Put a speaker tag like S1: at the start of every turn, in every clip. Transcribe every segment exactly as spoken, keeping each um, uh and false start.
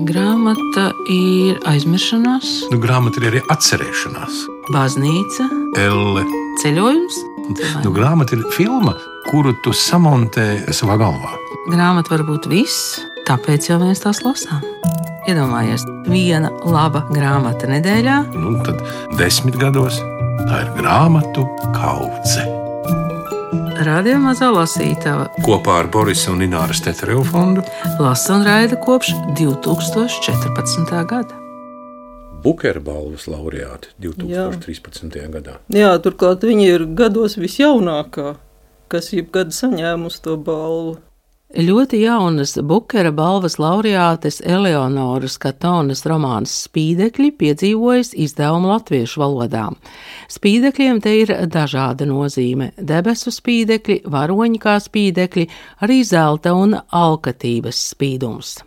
S1: Grāmata ir aizmiršanās,
S2: Nu, grāmata ir arī atcerēšanās.
S1: baznīca,
S2: Elle.
S1: ceļojums.
S2: Nu, grāmata ir filma, kuru tu samontē savā galvā.
S1: Grāmata var būt viss, tāpēc jau mēs tās lasām. Iedomājies, viena laba grāmata nedēļā.
S2: Nu, tad desmit gados tā ir grāmatu kaudze.
S1: Radio Mazā lasītava
S2: Kopā ar Borisa un Ināras Tetereva fondu
S1: lasa un raida kopš divi tūkstoši četrpadsmitā gada.
S3: Bukera balvas laureāti divi tūkstoši trīspadsmitajā gadā.
S4: Jā, turklāt viņa ir gados visjaunākā, kas jebkad saņēmusi to balvu.
S1: Ļoti jaunas Bukera balvas laureātes Eleonoras Katonas romāns Spīdekļi piedzīvojas izdevumu latviešu valodā. Spīdekļiem te ir dažāda nozīme – debesu spīdekļi, varoņi kā spīdekļi, arī zelta un alkatības spīdums.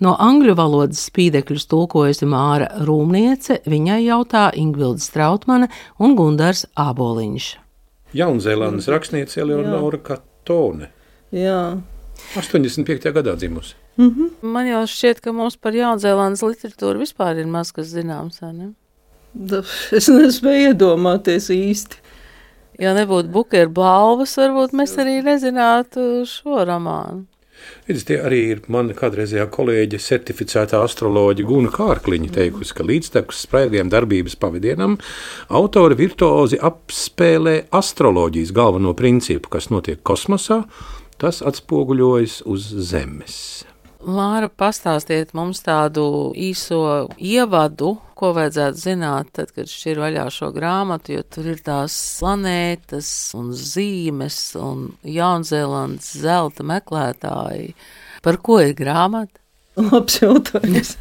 S1: No angļu valodas spīdekļus tulkojusi Māra Rūmniece, viņai jautā Ingvilda Strautmane un Gundars Āboliņš.
S3: Jaunzēlandes rakstniece Eleonora Katone.
S4: Jā.
S3: astoņdesmit piektajā gadā dzimusi.
S1: Man jau šķiet, ka mums par Jaunzēlandes literatūru vispār ir maz kas zināms, vai ne?
S4: Da, es nespēju iedomāties īsti.
S1: Ja nebūtu Bukera balvas, varbūt mēs arī nezinātu šo romānu.
S3: Redz, tie arī ir mana kādreizējā kolēģe, certificētā astroloģa Guna Kārkliņa teikusi, ka līdztekus spraigajam darbības pavadienam autori virtuozi apspēlē astroloģijas galveno principu, kas notiek kosmosā, tas atspoguļojas uz Zemes.
S1: Māra, pastāstiet mums tādu īso ievadu, ko vajadzētu zināt, tad, kad šķir vaļā šo grāmatu, jo tur ir tās planētas un zīmes un Jaunzēlandes zelta meklētāji. Par ko ir grāmata?
S4: Labs jautājums.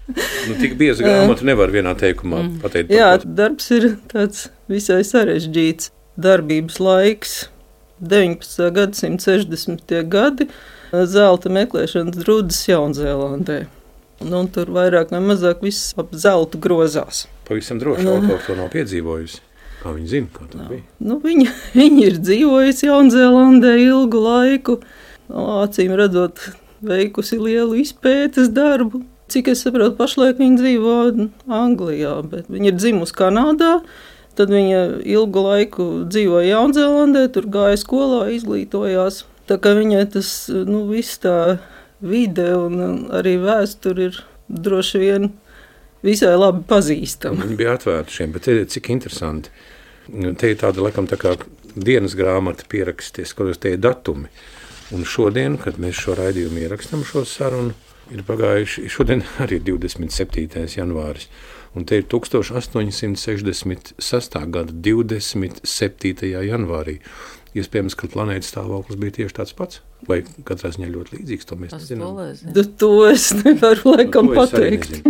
S3: Nu, tik bieza grāmata nevar vienā teikumā mm. pateikt.
S4: Jā, darbs ir tāds visai sarežģīts. Darbības laiks deviņpadsmitā gadsimta sešdesmitie gadi, zelta meklēšanas drudas Jaunzēlandē. Nu, un tur vairāk vai mazāk viss ap zeltu grozās.
S3: Pavisam droši autori to nav piedzīvojusi. Kā viņi zina, kā tas bija?
S4: Nu, viņa, viņa ir dzīvojusi Jaunzēlandē ilgu laiku, acīm redzot, veikusi lielu izpētes darbu. Cik es saprotu, pašlaik viņa dzīvo Anglijā, bet viņa ir dzimusi Kanādā. Tad viņa ilgu laiku dzīvoja Jaunzēlandē, tur gāja skolā, izglītojās. Tā kā viņai tas, nu, viss tā vide un arī vēsture ir droši vien visai labi pazīstama.
S3: Viņi bija atvērti šiem, bet te, cik interesanti. Te ir tāda, laikam, tā kā dienas grāmata pieraksties, kaut tie ir datumi. Un šodien, kad mēs šo raidījumu ierakstam šo sarunu, ir pagājuši, šodien arī divdesmit septītais janvāris. Un te ir tūkstoš astoņsimt sešdesmit sestā gada divdesmit septītajā janvārī. Iespējams, ka planētas stāvoklis bija tieši tāds pats, vai katrā ziņā ļoti līdzīgs, to mēs nezinām.
S4: To es nevaru laikam pateikt.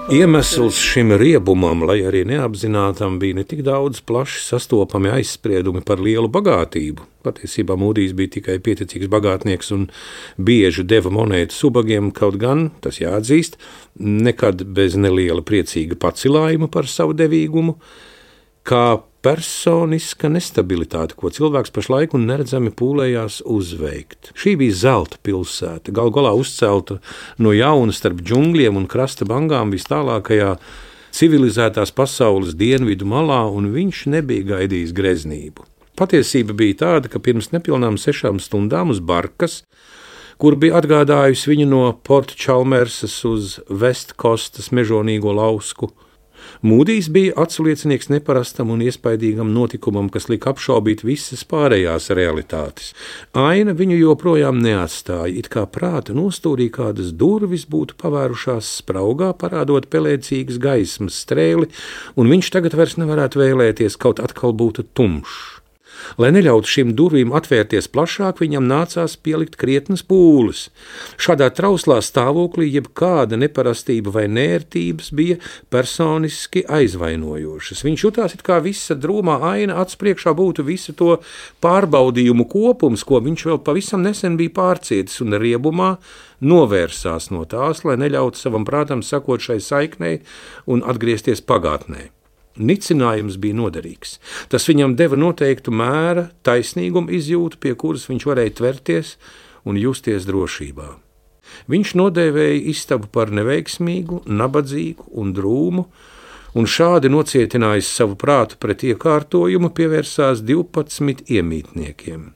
S3: Iemesls šim riebumam, lai arī neapzinātam, bija ne tik daudz plaši sastopami aizspriedumi par lielu bagātību. Patiesībā Mūdijs bija tikai pieticīgs bagātnieks un bieži deva monētas ubagiem, kaut gan, tas jāatzīst, nekad bez neliela priecīga pacilājuma par savu devīgumu, kā personiska nestabilitāte, ko cilvēks pašlaik un neredzami pūlējās uzveikt. Šī bija zelta pilsēta, gal galā uzcelta no jauna starp džungļiem un krasta bangām vis tālākajā civilizētās pasaules dienvidu malā, un viņš nebija gaidījis greznību. Patiesība bija tāda, ka pirms nepilnām sešām stundām uz barkas, kur bija atgādājusi viņu no Port Chalmersas uz Vestkostas mežonīgo lausku, Mūdijs bija atsliecinieks neparastam un iespaidīgam notikumam, kas lika apšaubīt visas pārējās realitātes. Aina viņu joprojām neatstāja, it kā prāta nostūrī kādas durvis būtu pavērušās spraugā, parādot pelēcīgas gaismas strēli, un viņš tagad vairs nevarētu vēlēties, kaut atkal būtu tumšs. Lai neļautu šīm durvīm atvērties plašāk, viņam nācās pielikt krietnas pūles. Šādā trauslā stāvoklī jebkāda neparastība vai nērtības bija personiski aizvainojošas. Viņš jutās, it kā visa drūmā aina acs priekšā būtu visu to pārbaudījumu kopums, ko viņš vēl pavisam nesen bija pārcietis, un riebumā novērsās no tās, lai neļautu savam prātam sakot šai saiknei un atgriezties pagātnē. Nicinājums bija noderīgs. Tas viņam deva noteiktu mēra taisnīgumu izjūtu, pie kuras viņš varēja tverties un justies drošībā. Viņš nodēvēja istabu par neveiksmīgu, nabadzīgu un drūmu, un šādi nocietinājis savu prātu pret iekārtojumu, pievērsās divpadsmit iemītniekiem.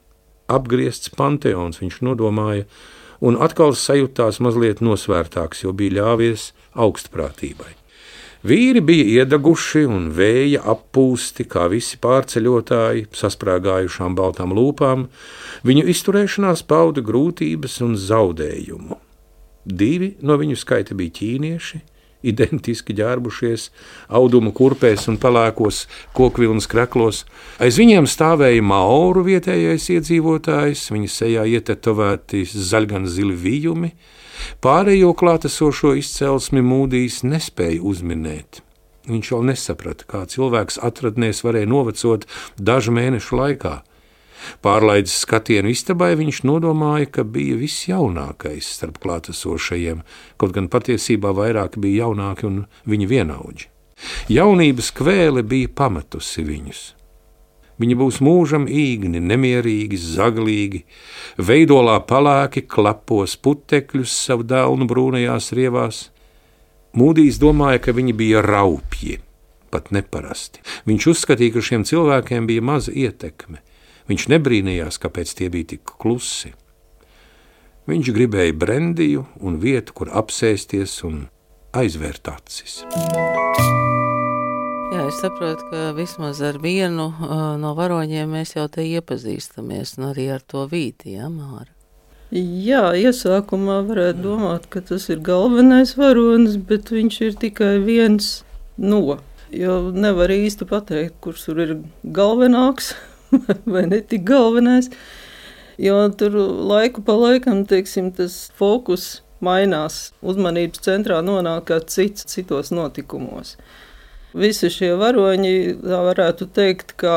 S3: Apgriezts panteons, viņš nodomāja, un atkal sajūtās mazliet nosvērtāks, jo bija ļāvies augstprātībai. Vīri bija iedaguši un vēja appūsti, kā visi pārceļotāji, sasprāgājušām baltām lūpām, viņu izturēšanās pauda grūtības un zaudējumu. Divi no viņu skaita bija ķīnieši, identiski ģērbušies, audumu kurpēs un pelēkos kokvilnas kreklos. Aiz viņiem stāvēja maoru vietējais iedzīvotājs, viņa sejā ietetovēti zaļgan zili vijumi. Pārējo klātesošo izcelsmi Mūdijs nespēja uzminēt. Viņš vēl nesaprata, kā cilvēks atradnēs varēja novecot dažu mēnešu laikā. Pārlaidis skatienu istabai, viņš nodomāja, ka bija visjaunākais starp klātesošajiem, kaut gan patiesībā vairāki bija jaunāki un viņi vienaudži. Jaunības kvēle bija pametusi viņus. Viņi būs mūžam īgni, nemierīgi, zaglīgi, veidolā palēki klepos putekļus savu dēlnu brūnajās rievās. Mūdijs domāja, ka viņi bija raupji, pat neparasti. Viņš uzskatīja, ka šiem cilvēkiem bija maza ietekme. Viņš nebrīnījās, kāpēc tie bija tik klusi. Viņš gribēja brendiju un vietu, kur apsēsties un aizvērt acis.
S1: Jā, es saprotu, ka vismaz ar vienu uh, no varoņiem mēs jau te iepazīstamies, un arī ar to Vīti, jā, Māra?
S4: Jā, iesākumā varētu domāt, ka tas ir galvenais varonis, bet viņš ir tikai viens no, jo nevar īsti pateikt, kurš tur ir galvenāks vai ne tik galvenais, jo tur laiku pa laikam, teiksim, tas fokus mainās, uzmanības centrā nonāk kā cits citos notikumos. Visi šie varoņi, tā varētu teikt, ka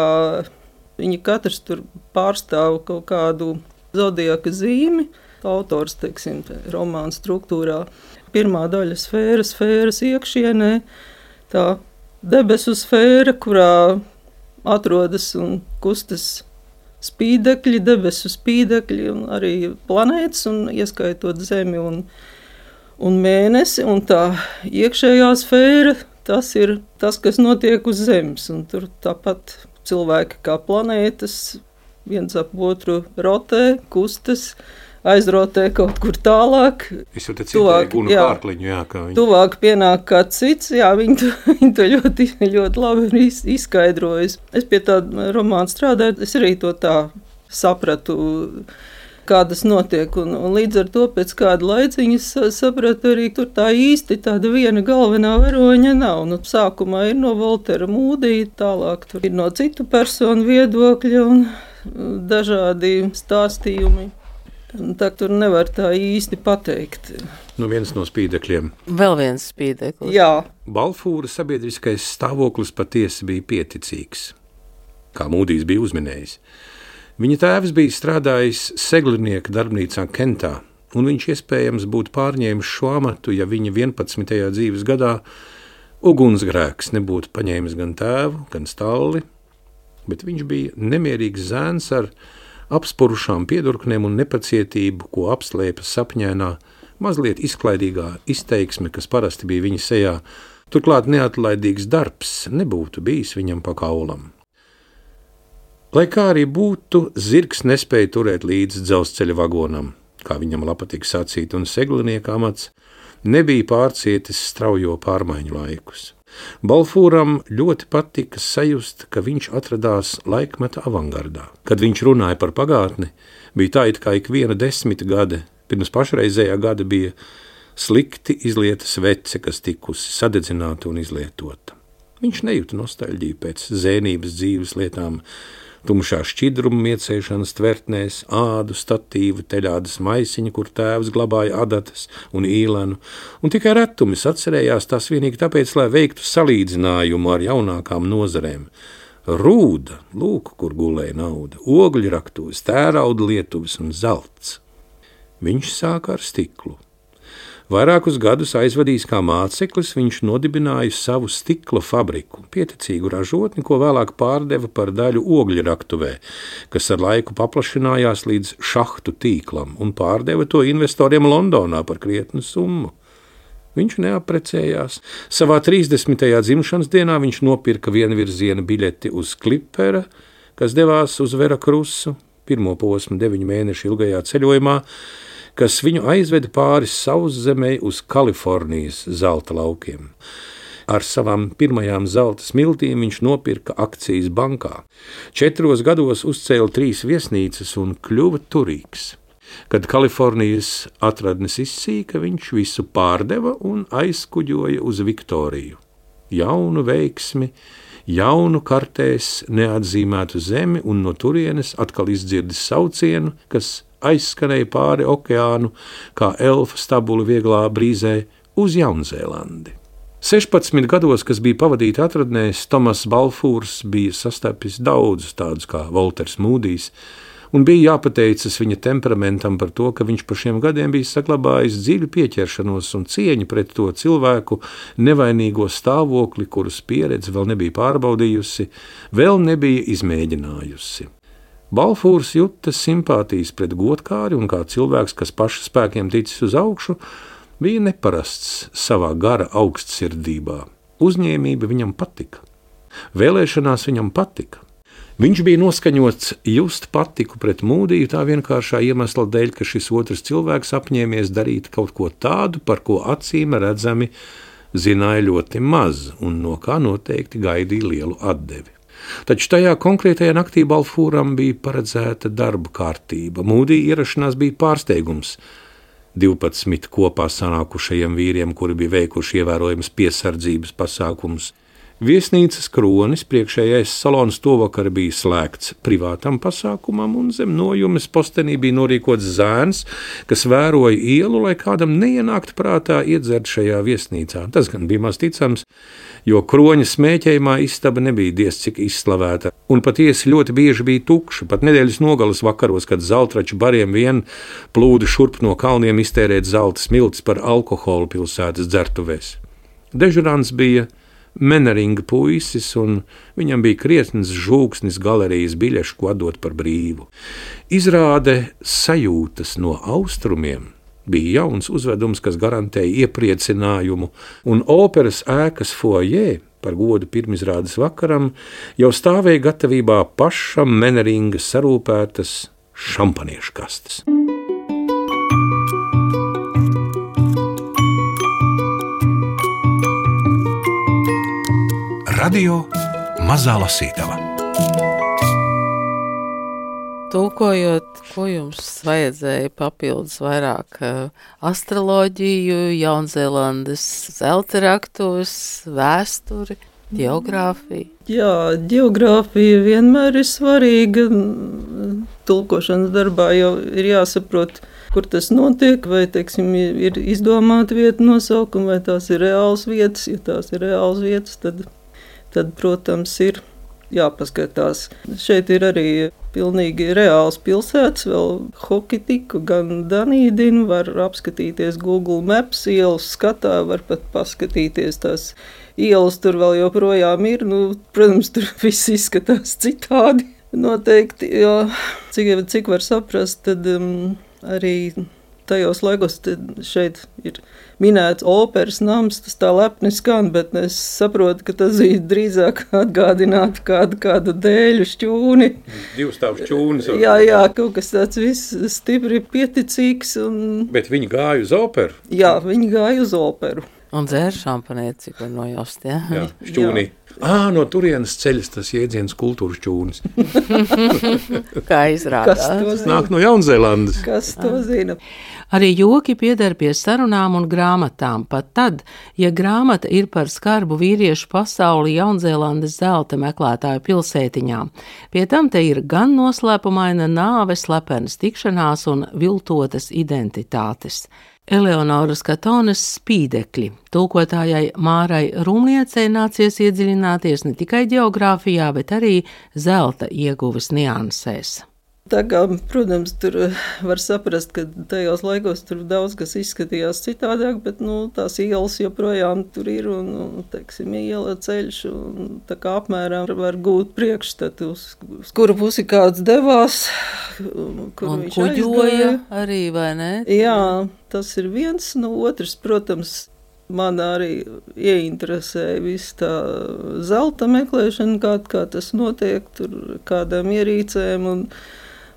S4: viņi katrs tur pārstāv kaut kādu zodiaka zīmi. Autors, teiksim, romāna struktūrā. Pirmā daļa sfēra, sfēras iekšienē, tā debesu sfēra, kurā atrodas un kustas spīdekļi, debesu spīdekļi un arī planētas, un ieskaitot Zemi un, un mēnesi. Un tā iekšējā sfēra, tas ir tas, kas notiek uz Zemes, un tur tāpat cilvēki kā planētas, viens ap otru rotē, kustas, aizrotē kaut kur tālāk.
S3: Es jau te citēju Gunu Kārkliņu, jā, kā viņi.
S4: Tuvāk pienāk kāds cits, jā, viņi to, viņi to ļoti, ļoti labi ir izskaidrojis. Es pie tā romāna strādāju, es arī to tā sapratu, kādas notiek, un, un līdz ar to pēc kāda laiciņa sapratu arī, tur tā īsti tāda viena galvenā varoņa nav. Nu, sākumā ir no Voltera Mūdija, tālāk tur ir no citu personu viedokļa un dažādi stāstījumi. Tā tur nevar tā īsti pateikt.
S3: Nu, viens no spīdekļiem.
S1: Vēl viens spīdeklis.
S4: Jā.
S3: Balfūra sabiedriskais stāvoklis patiesi bija pieticīgs, kā Mūdijs bija uzminējis. Viņa tēvs bija strādājis seglinieka darbnīcā Kentā, un viņš iespējams būtu pārņēmis šo amatu, ja viņa vienpadsmitajā dzīves gadā ugunsgrēks nebūtu paņēmis gan tēvu, gan stalli, bet viņš bija nemierīgs zēns ar apspurušām piedurknēm un nepacietību, ko apslēpa sapņēnā, mazliet izklaidīgā izteiksme, kas parasti bija viņa sejā. Turklāt neatlaidīgs darbs nebūtu bijis viņam pa kaulam. Lai kā arī būtu, zirgs nespēja turēt līdz dzelzceļa vagonam, kā viņam patika sacīt, un seglinieka amats nebija pārcietis straujo pārmaiņu laikus. Balfūram ļoti patika sajust, ka viņš atradās laikmeta avangardā. Kad viņš runāja par pagātni, bija tā, it kā ik viena desmit gade, pirms pašreizējā gada bija slikti izlieta svece, kas tikusi sadedzināta un izlietota. Viņš nejuta nostalģiju pēc zēnības dzīves lietām, tumšā šķidruma miecēšanas tvertnēs, ādu statīvu, teļādas maisiņu, kur tēvs glabāja adatas un īlenu, un tikai retumis atcerējās tās vienīgi tāpēc, lai veiktu salīdzinājumu ar jaunākām nozarēm. Rūda, lūk, kur gulēja nauda, ogļraktuves, tērauda lietuves un zelts. Viņš sāka ar stiklu. Vairākus gadus aizvadījis kā māceklis, viņš nodibināja savu stikla fabriku, pieticīgu ražotni, ko vēlāk pārdeva par daļu ogļraktuvē, kas ar laiku paplašinājās līdz šahtu tīklam un pārdeva to investoriem Londonā par krietnu summu. Viņš neaprecējās. Savā trīsdesmitajā dzimšanas dienā viņš nopirka vienvirziena biļeti uz Klipera, kas devās uz Verakrusu, pirmo posmu deviņu mēnešu ilgajā ceļojumā, kas viņu aizveda pāri Sauszemei uz Kalifornijas zelta laukiem. Ar savām pirmajām zelta smiltīm viņš nopirka akcijas bankā. Četros gados uzcēla trīs viesnīcas un kļuva turīgs. Kad Kalifornijas atradnes izsīka, viņš visu pārdeva un aizkuģoja uz Viktoriju. Jaunu veiksmi, jaunu kartēs neatzīmētu zemi un no turienes atkal izdzirdis saucienu, kas aizskanēja pāri okeānu, kā elfa stabuli vieglā brīzē uz Jaunzēlandi. sešpadsmit gados, kas bija pavadīti atradnēs, Tomas Balfūrs bija sastapis daudzus tādus kā Volters Mūdijs, un bija jāpateicas viņa temperamentam par to, ka viņš pa šiem gadiem bija saglabājis dziļu pieķeršanos un cieņu pret to cilvēku nevainīgo stāvokli, kurus pieredze vēl nebija pārbaudījusi, vēl nebija izmēģinājusi. Balfūrs juta simpātijas pret godkāri un kā cilvēks, kas paša spēkiem ticis uz augšu, bija neparasts savā gara augstsirdībā. Uzņēmība viņam patika. Vēlēšanās viņam patika. Viņš bija noskaņots just patiku pret Mūdiju tā vienkāršā iemesla dēļ, ka šis otrs cilvēks apņēmies darīt kaut ko tādu, par ko acīm redzami zināja ļoti maz un no kā noteikti gaidīja lielu atdevi. Taču tajā konkrētajā naktī Balfūram bija paredzēta darba kārtība. Mūdija ierašanās bija pārsteigums divpadsmit kopā sanākušajiem vīriem, kuri bija veikuši ievērojams piesardzības pasākumus. Viesnīcas kronis priekšējais salons tovakar bija slēgts privātam pasākumam, un zem nojumes postenī bija norīkots zēns, kas vēroja ielu, lai kādam neienāktu prātā iedzert šajā viesnīcā. Tas gan bija maz ticams, jo kroņa smēķējumā istaba nebija diez cik izslavēta, un patiesi ļoti bieži bija tukša, pat nedēļas nogalas vakaros, kad zeltraču bariem vien plūda šurp no kalniem iztērēt zelta smiltis par alkoholu pilsētas dzertuvēs. Dežurants bija Meneringa puisis, un viņam bija krietnes žūksnis galerijas biļešu, ko atdot par brīvu. Izrāde sajūtas no austrumiem bija jauns uzvedums, kas garantēja iepriecinājumu, un operas ēkas foajē par godu pirmizrādes vakaram jau stāvēja gatavībā pašam Meneringa sarūpētas šampaniešu kastes.
S2: Radio Mazā Lasītava.
S1: Tūkojot, ko jums vajadzēja papildus vairāk astroloģiju, Jaunzēlandes zelta raktuves, vēsturi, ģeogrāfiju?
S4: Jā, ģeogrāfija vienmēr ir svarīga. Tulkošanas darbā jau ir jāsaprot, kur tas notiek, vai, teiksim, ir izdomāta vieta nosaukuma, vai tās ir reāls vietas. Ja tās ir reāls vietas, tad, tad protams, ir jāpaskatās. Šeit ir arī pilnīgi reāls pilsētas, vēl Hokitiku, gan Danīdinu, var apskatīties Google Maps, ielas skatā, var pat paskatīties tās ielas, tur vēl joprojām ir, nu, protams, tur viss izskatās citādi. Noteikti, jo cik, cik var saprast, tad um, arī tajos laikos šeit ir minēts operas nams, tas tā lepni skan, bet es saprotu, ka tas ir drīzāk atgādinātu kādu, kādu dēļu šķūni.
S3: Divstāvu šķūnis.
S4: Jā, jā, kaut kas tāds viss stipri pieticīgs. Un...
S3: Bet viņi gāja uz operu?
S4: Jā, viņi gāja uz operu.
S1: Un dzēra šampanieti, cik var nojaust, jā?
S3: Jā, šķūnī. Ā, no turienes ceļas tas jēdziens kultūras šķūnis.
S1: Kā izrādās.
S4: Kas to zina?
S3: Nāk no Jaunzēlandes.
S4: Kas to zina?
S1: Arī joki pieder pie sarunām un grāmatām, pat tad, ja grāmata ir par skarbu vīriešu pasauli Jaunzēlandes zelta meklētāju pilsētiņām. Pie tam te ir gan noslēpumaina nāve, slepenas tikšanās un viltotas identitātes. Eleonoras Katones spīdekļi. Tulkotājai Mārai Rumniecei nācies iedziļināties ne tikai ģeogrāfijā, bet arī zelta ieguves niansēs.
S4: Tā kā, protams, tur var saprast, ka tajos laikos tur daudz kas izskatījās citādāk, bet nu, tās ielas joprojām tur ir un, un teiksim, iela ceļš un tā kā apmēram var gūt priekšstatu, uz, uz kuru pusi kāds devās, kur
S1: un
S4: viņš
S1: kuģoja
S4: aizgāja.
S1: arī, vai ne?
S4: Jā, tas ir viens, no otrs, protams, man arī ieinteresēja viss tā zelta meklēšana, kā, kā tas notiek, tur kādām ierīcēm un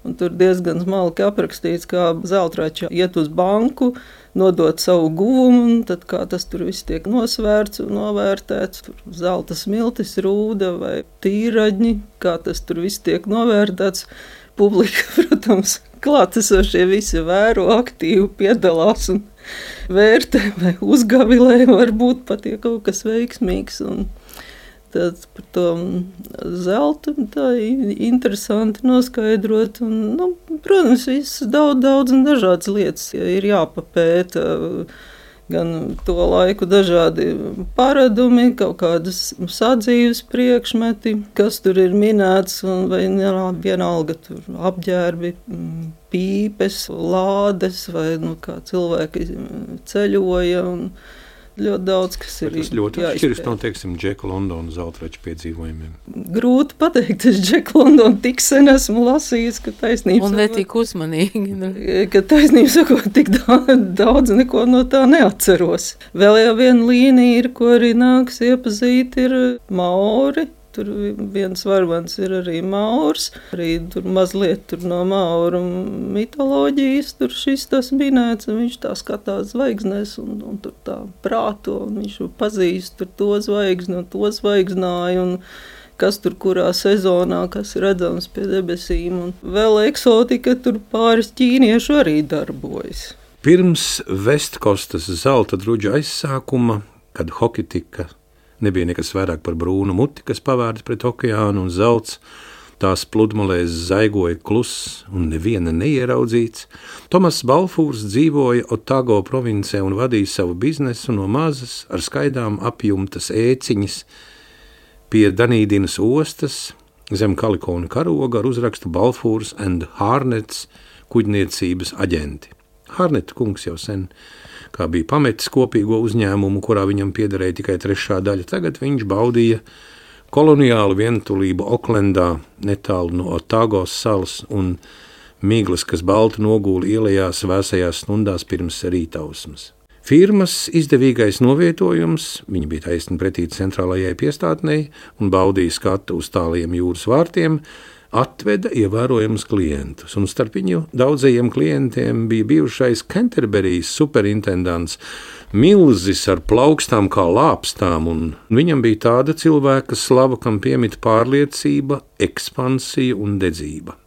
S4: Un tur diezgan smalki aprakstīts, kā zeltrača iet uz banku, nodot savu guvumu, un tad kā tas tur viss tiek nosvērts un novērtēts. Tur zelta smiltis, rūda vai tīraģņi, kā tas tur viss tiek novērtēts. Publika, protams, klātesošie visi vēro, aktīvi piedalās un vērtē vai uzgavilē, varbūt pat, ja kaut kas veiksmīgs. Un tad par to zeltu tā interesanti noskaidrot. Un, nu, protams, viss daudz, daudz un dažādas lietas ir jāpapēta. Gan to laiku dažādi paradumi, kaut kādas sadzīves priekšmeti, kas tur ir minēts, un vai vienalga tur apģērbi, pīpes, lādes, vai nu, kā cilvēki ceļoja. Un, ļoti daudz, kas ir
S3: jāizpēta. Tas ļoti atšķiras no, teiksim, Džeka Londona zeltrača piedzīvojumiem.
S4: Grūti pateikt, es Džeku Londonu tik sen esmu lasījis, ka taisnība
S1: un ne tik uzmanīgi.
S4: Ka taisnība sakot, tik daudz neko no tā neatceros. Vēl jau viena līnija ir, ko arī nāks iepazīt, ir maori. Tur viens varvans ir arī maurs, arī tur mazliet tur no mauru mitoloģijas, tur šis tas minēts, un viņš tā skatās zvaigznēs, un, un tur tā prāto, un viņš pazīst tur to zvaigzni, un to zvaigznāju, un kas tur kurā sezonā, kas ir redzams pie debesīm, un vēl eksotika, tur pāris ķīniešu arī darbojas.
S3: Pirms Vestkostas zelta druģa aizsākuma, kad Hokitika nebija nekas vairāk par brūnu muti, kas pavērtas pret okeānu un zelts, tās pludmalēs zaigoja kluss un neviena neieraudzīts. Tomas Balfūrs dzīvoja Otago provincē un vadīja savu biznesu no mazas ar skaidām apjumtas ēciņas pie Danīdinas ostas zem Kalikona karoga ar uzrakstu Balfūrs and Harnets kuģniecības aģenti. Harneta kungs jau sen kā bija pametis kopīgo uzņēmumu, kurā viņam piederēja tikai trešā daļa. Tagad viņš baudīja koloniālu vientulību Oklendā, netālu no Otagos salas un miglas, kas balti nogūla ielējās vēsajās stundās pirms rītausmas. Firmas izdevīgais novietojums, viņa bija taisni pretī centrālajai piestātnei un baudīja skatu uz tāliem jūras vārtiem, atveda ievērojams klientus, un starp viņu daudzajiem klientiem bija bijušais Canterbury's superintendants, milzis ar plaukstām kā lāpstām, un viņam bija tāda cilvēka slava, kam piemita pārliecība, ekspansija un dedzība.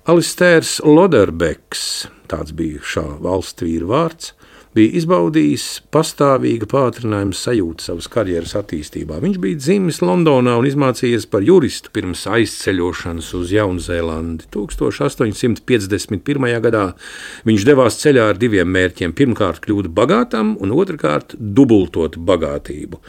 S3: Alistērs Loderbeks, tāds bija šā valstsvīra vārds, bija izbaudījis pastāvīga pātrinājuma sajūtu savas karjeras attīstībā. Viņš bija dzimis Londonā un izmācījies par juristu pirms aizceļošanas uz Jaunzēlandi. tūkstoš astoņi simti piecdesmit pirmajā gadā viņš devās ceļā ar diviem mērķiem. Pirmkārt kļūt bagātam un otrkārt dubultot bagātību.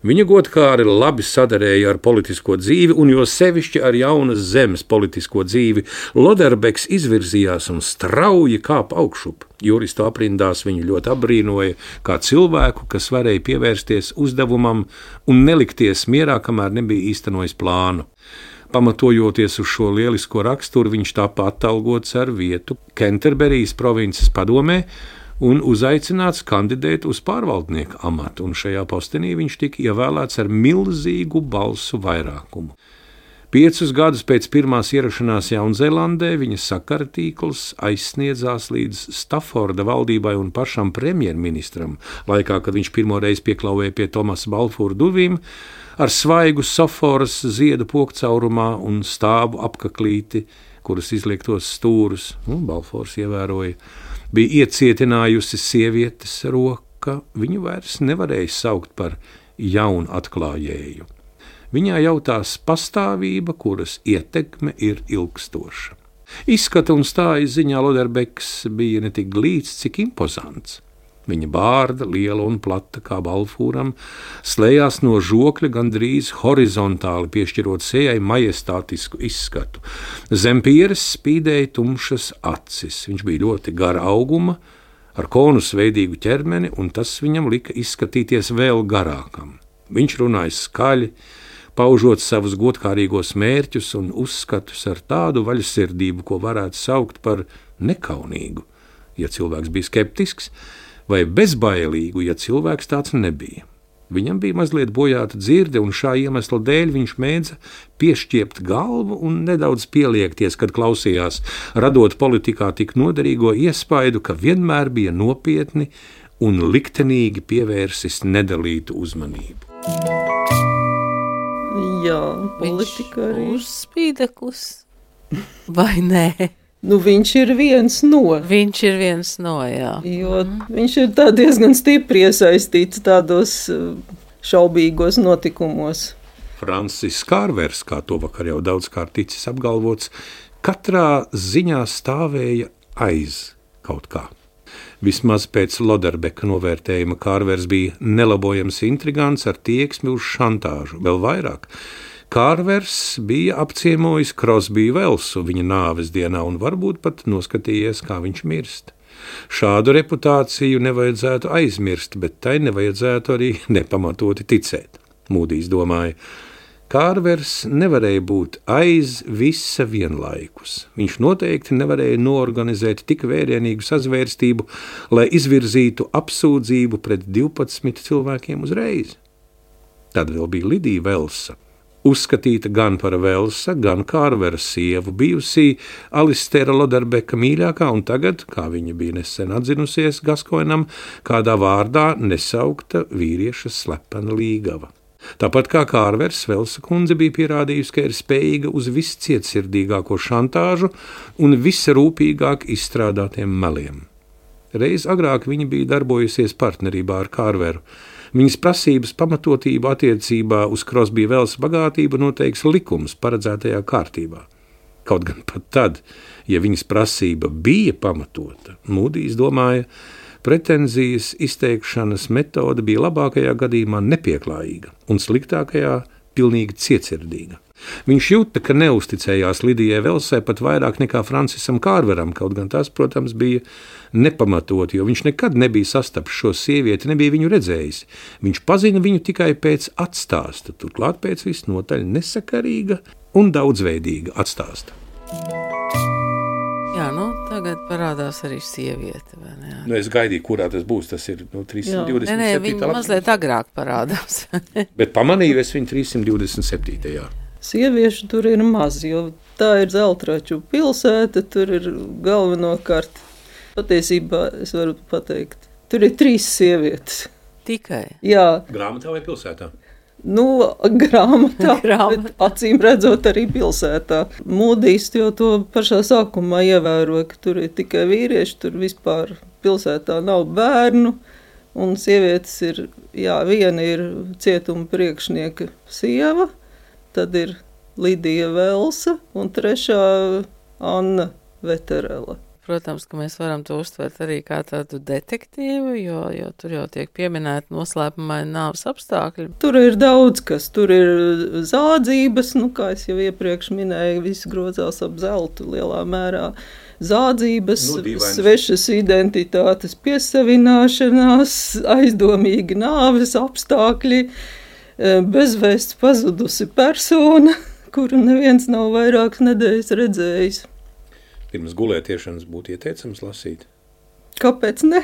S3: Viņa godkāri labi sadarēja ar politisko dzīvi, un jo sevišķi ar jaunas zemes politisko dzīvi, Loderbeks izvirzījās un strauji kāpa augšup. Juristu aprindās viņu ļoti apbrīnoja kā cilvēku, kas varēja pievērsties uzdevumam un nelikties mierā, kamēr nebija īstenojis plānu. Pamatojoties uz šo lielisko raksturu, viņš tāpa atalgots ar vietu Canterbury's provinces padomē, un uzaicināts kandidēt uz pārvaldnieka amatu, un šajā postenī viņš tika ievēlēts ar milzīgu balsu vairākumu. Piecus gadus pēc pirmās ierašanās Jaunzēlandē viņa sakara tīkls aizsniedzās līdz Stafforda valdībai un pašam premjerministram, laikā, kad viņš pirmoreiz pieklauvēja pie Tomasa Balfūra durvīm, ar svaigu soforas ziedu pokcaurumā un stābu apkaklīti, kuras izliektos stūrus, un Balfūrs ievēroja, bija iecietinājusi sievietes roka, viņu vairs nevarēja saukt par jaunu atklājēju. Viņā jautās pastāvība, kuras ietekme ir ilgstoša. Izskata un stājas ziņā Loderbeks bija ne tik glīts, cik impozants. Viņa bārda, liela un plata kā balfūram, slējās no žokļa gandrīz horizontāli, piešķirot sejai majestātisku izskatu. Zem pieres spīdēja tumšas acis. Viņš bija ļoti gara auguma, ar konusveidīgu ķermeni, un tas viņam lika izskatīties vēl garākam. Viņš runāja skaļi, paužot savus godkārīgos mērķus un uzskatus ar tādu vaļsirdību, ko varētu saukt par nekaunīgu, ja cilvēks bija skeptisks, vai bezbailīgu, ja cilvēks tāds nebija. Viņam bija mazliet bojāta dzirde, un šā iemesla dēļ viņš mēdza piešķiept galvu un nedaudz pieliekties, kad klausījās, radot politikā tik noderīgo iespaidu, ka vienmēr bija nopietni un liktenīgi pievērsis nedalītu uzmanību.
S4: Jā, politika arī.
S1: Uzspīdeklis, vai nē?
S4: Nu, viņš ir viens no.
S1: Viņš ir viens no, jā.
S4: Jo mm. viņš ir tā diezgan stipri iesaistīts tādos šaubīgos notikumos.
S3: Francis Kārvers, kā to vakar jau daudzkārt ticis apgalvots, katrā ziņā stāvēja aiz kaut kā. Vismaz pēc Loderbeka novērtējuma Kārvers bija nelabojams intrigants ar tieksmi uz šantāžu, vēl vairāk. Kārvers bija apciemojis Crosbiju Velsu viņa nāves dienā un varbūt pat noskatījies, kā viņš mirst. Šādu reputāciju nevajadzētu aizmirst, bet tai nevajadzētu arī nepamatoti ticēt. Mūdijs domāja, Kārvers nevarēja būt aiz visa vienlaikus. Viņš noteikti nevarēja noorganizēt tik vērienīgu sazvērstību, lai izvirzītu apsūdzību pret divpadsmit cilvēkiem uzreiz. Tad vēl bija Lidija Velsa. Uzskatīta gan par Velsa, gan Kārvera sievu, bijusī Alistera Loderbeka mīļākā un tagad, kā viņa bija nesen atzinusies Gaskoinam, kādā vārdā nesaukta vīrieša slepena līgava. Tāpat kā Kārvers, Velsa kundze bija pierādījusi, ka ir spējīga uz viscietsirdīgāko šantāžu un visrūpīgāk izstrādātiem meliem. Reiz agrāk viņa bija darbojusies partnerībā ar Kārveru. Viņas prasības pamatotību attiecībā uz Crosbija Velsa bagātību noteiks likums paredzētajā kārtībā. Kaut gan pat tad, ja viņas prasība bija pamatota, Mūdijs domāja, pretenzijas izteikšanas metode bija labākajā gadījumā nepieklājīga un sliktākajā pilnīgi cietsirdīga. Viņš jūta, ka neusticējās Lidijai Velsai pat vairāk nekā Francisam Kārveram, kaut gan tas, protams, bija nepamatot, jo viņš nekad nebija sastapis šo sievieti, nebija viņu redzējis. Viņš pazina viņu tikai pēc atstāsta, turklāt pēc visnotaļ nesakarīga un daudzveidīga atstāsta.
S1: Jā, nu, tagad parādās arī sieviete, vai ne?
S3: Nu, es gaidīju, kurā tas būs, tas ir nu, trīssimt divdesmit septītā.
S1: Nē, nē, viņa mazliet agrāk parādās.
S3: Bet pamanīju es viņu trīssimt divdesmit septītajā.
S4: Sieviešu tur ir maz, jo tā ir Zeltraču pilsēta, tur ir galvenokārt, patiesībā es varu pateikt, tur ir trīs sievietes.
S1: Tikai?
S4: Jā.
S3: Grāmatā vai pilsētā?
S4: Nu, grāmatā,
S1: Grāmatā.
S4: bet acīm redzot arī pilsētā. Mūdijs jau to pašā sākumā ievēroja, ka tur ir tikai vīrieši, tur vispār pilsētā nav bērnu, un sievietes ir, jā, viena ir cietuma priekšnieka sieva, tad ir Lidija Velsa un trešā Anna Veterela.
S1: Protams, ka mēs varam to uztvert arī kā tādu detektīvu, jo, jo tur jau tiek pieminēti noslēpumaini nāves apstākļi.
S4: Tur ir daudz kas, tur ir zādzības, nu kā es jau iepriekš minēju, viss grozās ap zeltu lielā mērā. Zādzības,
S3: Nu,
S4: svešas identitātes piesavināšanās, aizdomīgi nāves apstākļi, bezvēsts pazudusi persona, kuru neviens nav vairākas nedēļas redzējis.
S3: Pirms gulētiešanas būtu ieteicams lasīt.
S4: Kāpēc ne?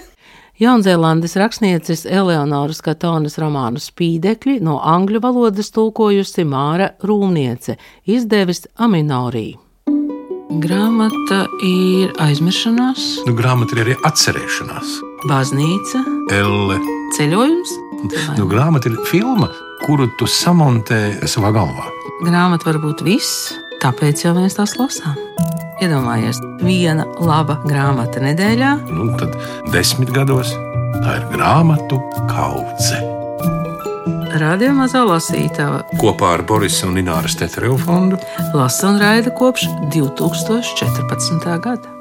S1: Jaunzēlandes rakstnieces Eleonoras Katonas romānu Spīdekļi no angļu valodas tulkojusi Māra Rūmniece, izdevis Aminorī. Grāmata ir aizmiršanās,
S2: Nu, grāmata ir arī atcerēšanās.
S1: baznīca,
S2: Elle.
S1: ceļojums.
S2: Nu, grāmata ir filma, kuru tu samontē savā galvā.
S1: Grāmata var būt viss, tāpēc jau mēs tās lasām. Iedomājies, viena laba grāmata nedēļā.
S2: Nu, tad desmit gados tā ir grāmatu kaudze.
S1: Radio Mazā lasītava
S2: Kopā ar Borisa un Ināras Tetereva fondu
S1: lasa un raida kopš divi tūkstoši četrpadsmitā gada.